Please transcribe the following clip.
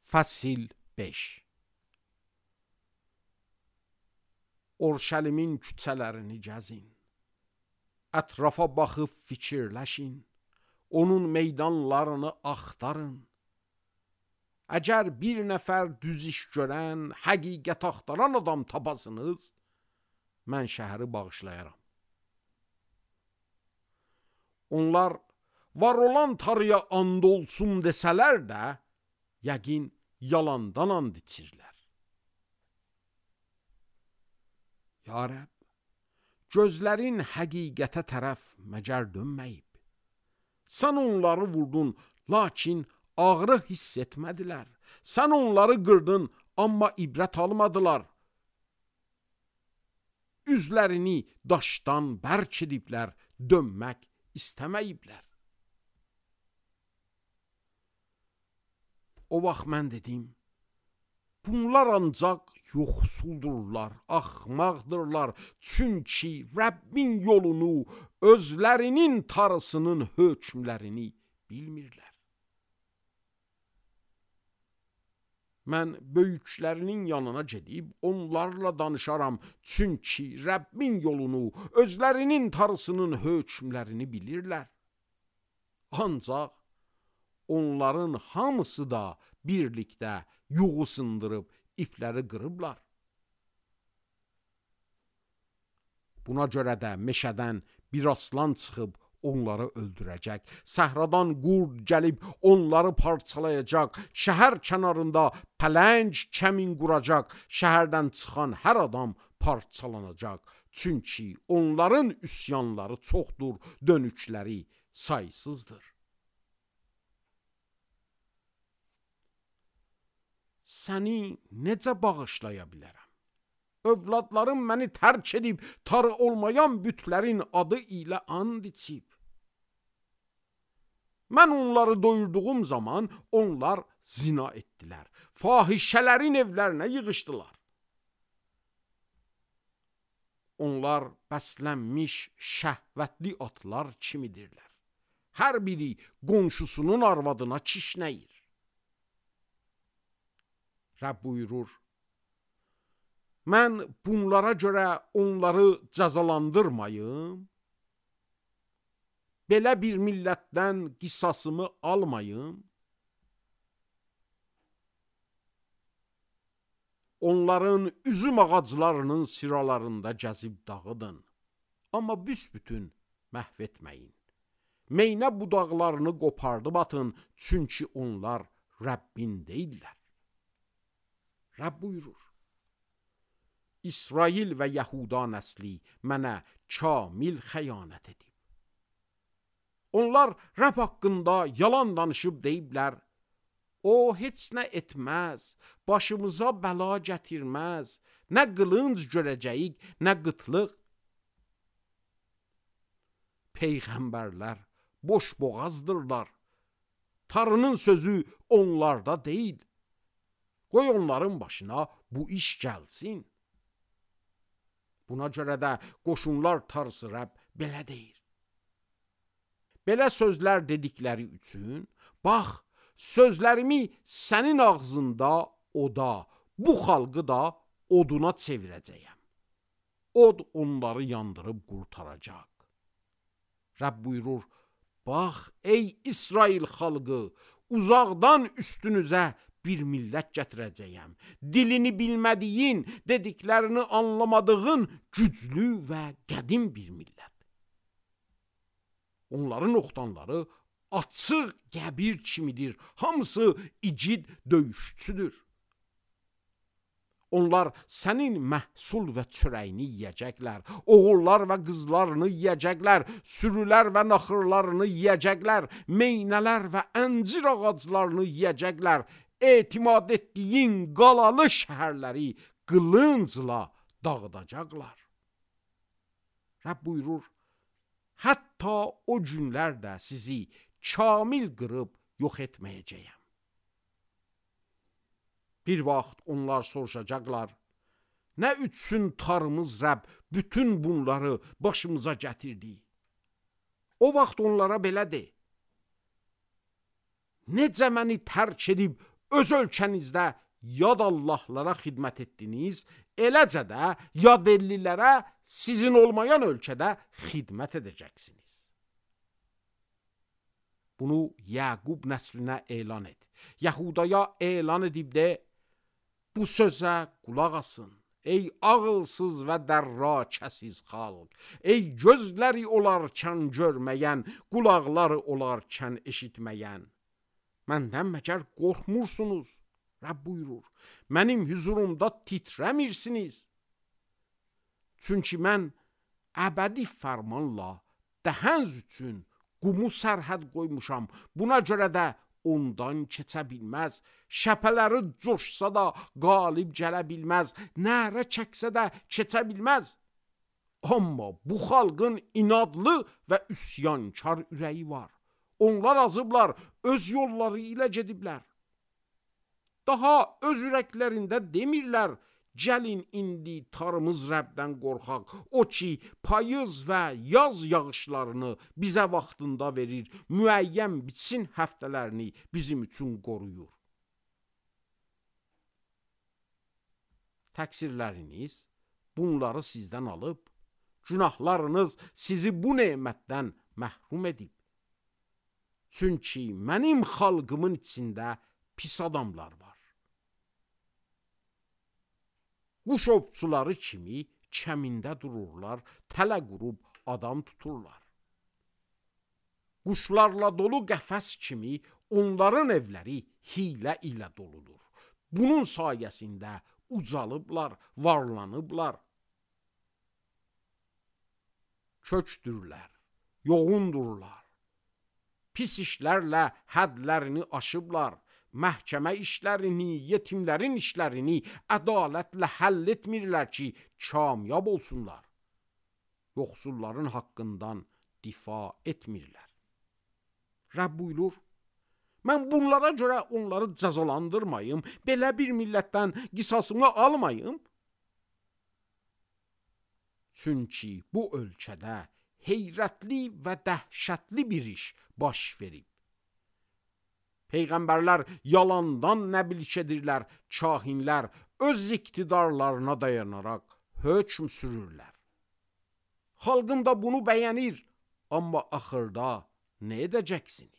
Fəsil 5. Orşəlimin küçələrini gəzin, ətrafa baxıb fikirləşin, onun meydanlarını axtarın. Əgər bir nəfər düz iş görən, həqiqət axtaran adam tapasınız, mən şəhəri bağışlayaram. Onlar var olan tarıya and olsun desələr də, yəqin yalandan and içirlər. Ya Rəbb, gözlərin həqiqətə tərəf məgər dönməyib. Sən onları vurdun, lakin ağrı hiss etmədilər. Sən onları qırdın, amma ibrət almadılar. Üzlərini daşdan bərk ediblər, dönmək istəməyiblər. O vaxt mən dedim, bunlar ancaq yoxsuldurlar, axmaqdırlar. Çünki Rəbbin yolunu, özlərinin tarısının hökmlərini bilmirlər. Mən böyüklərinin yanına gedib onlarla danışaram. Çünki Rəbbin yolunu, özlərinin tarısının hökmlərini bilirlər. Ancaq onların hamısı da birlikdə yuğu sındırıb ipləri qırıblar. Buna görə də meşədən bir aslan çıxıb onları öldürəcək. Səhradan qurd gəlib onları parçalayacaq. Şəhər kənarında pələng kəmin quracaq. Şəhərdən çıxan hər adam parçalanacaq. Çünki onların üsyanları çoxdur, dönükləri saysızdır. Səni necə bağışlaya bilərəm? Övladlarım məni tərk edib, tarı olmayan bütlərin adı ilə and içib. Mən onları doyurduğum zaman onlar zina etdilər. Fahişələrin evlərinə yığışdılar. Onlar bəslənmiş şəhvətli atlar kimidirlər. Hər biri qonşusunun arvadına kişnəyir. Rəbb buyurur, mən bunlara görə onları cəzalandırmayım, belə bir millətdən qisasımı almayım, onların üzüm ağaclarının sıralarında gəzib dağıdın, amma büsbütün məhv etməyin. Meynə budaqlarını qopardıb atın, çünki onlar Rəbbin deyirlər. Rəbb buyurur, İsrail və Yahuda nəsli mənə kamil xəyanət edib. Onlar Rəbb haqqında yalan danışıb deyiblər, o heç nə etməz, başımıza bəla gətirməz, nə qılınc görəcəyik, nə qıtlıq. Peyğəmbərlər boş boğazdırlar, tarının sözü onlarda deyil. Qoy onların başına bu iş gəlsin. Buna görə də qoşunlar tarısı Rəbb belə deyir. Belə sözlər dedikləri üçün, bax, sözlərimi sənin ağzında oda, bu xalqı da oduna çevirəcəyəm. Od onları yandırıb qurtaracaq. Rəbb buyurur, bax, ey İsrail xalqı, uzaqdan üstünüzə bir millət gətirəcəyəm. Dilini bilmədiyin, dediklərini anlamadığın güclü və qədim bir millət. Onların oxtanları açıq qəbir kimidir. Hamısı igid döyüşçüdür. Onlar sənin məhsul və çörəyini yiyəcəklər. Oğullar və qızlarını yiyəcəklər. Sürülər və naxırlarını yiyəcəklər. Meynələr və əncir ağaclarını yiyəcəklər. Etimad etdiyin qalalı şəhərləri qılıncla dağıdacaqlar. Rəbb buyurur, hətta o günlərdə sizi kamil qırıb yox etməyəcəyəm. Bir vaxt onlar soruşacaqlar, nə üçün tarımız Rəbb bütün bunları başımıza gətirdi? O vaxt onlara belə de, necə məni tərk edib öz ölkənizdə yad Allahlara xidmət etdiniz, eləcə də yad ellilərə sizin olmayan ölkədə xidmət edəcəksiniz. Bunu Yaqub nəslinə elan et. Yahudaya elan edib de, bu sözə qulaq asın. Ey ağılsız və dərrakəsiz xalq, ey gözləri olarkən görməyən, qulaqları olarkən eşitməyən. Məndən məgər qorxmursunuz? Rəbb buyurur, mənim huzurumda titrəmirsiniz. Çünki mən əbədi fərmanla dəhəniz üçün qumu sərhəd qoymuşam. Buna görə də ondan keçə bilməz. Şəpələri coşsa da qalib gələ bilməz. Nərə çəksə də keçə bilməz. Amma bu xalqın inadlı və üsyankar ürəyi var. Onlar azıblar, öz yolları ilə gediblər. Daha öz ürəklərində demirlər, gəlin indi tarımız Rəbdən qorxaq. O ki, payız və yaz yağışlarını bizə vaxtında verir, müəyyən bitsin həftələrini bizim üçün qoruyur. Təqsirləriniz bunları sizdən alıb, günahlarınız sizi bu nemətdən məhrum edib. Çünki mənim xalqımın içində pis adamlar var. Quş ovçuları kimi kəmində dururlar, tələ qurub adam tuturlar. Quşlarla dolu qəfəs kimi onların evləri hilə ilə doludur. Bunun sayəsində ucalıblar, varlanıblar. Kökdürlər, yoğundurlar. Pis işlərlə hədlərini aşıblar. Məhkəmə işlərini, yetimlərin işlərini ədalətlə həll etmirlər ki, kamyab olsunlar. Yoxsulların haqqından difa etmirlər. Rəbb buyurur, mən bunlara görə onları cəzalandırmayım, belə bir millətdən qisasımı almayım. Çünki bu ölkədə heyrətli və dəhşətli bir iş baş verib. Peyğəmbərlər yalandan nəbilç edirlər, kahinlər öz iqtidarlarına dayanaraq hökm sürürlər. Xalqım da bunu bəyənir, amma axırda nə edəcəksiniz?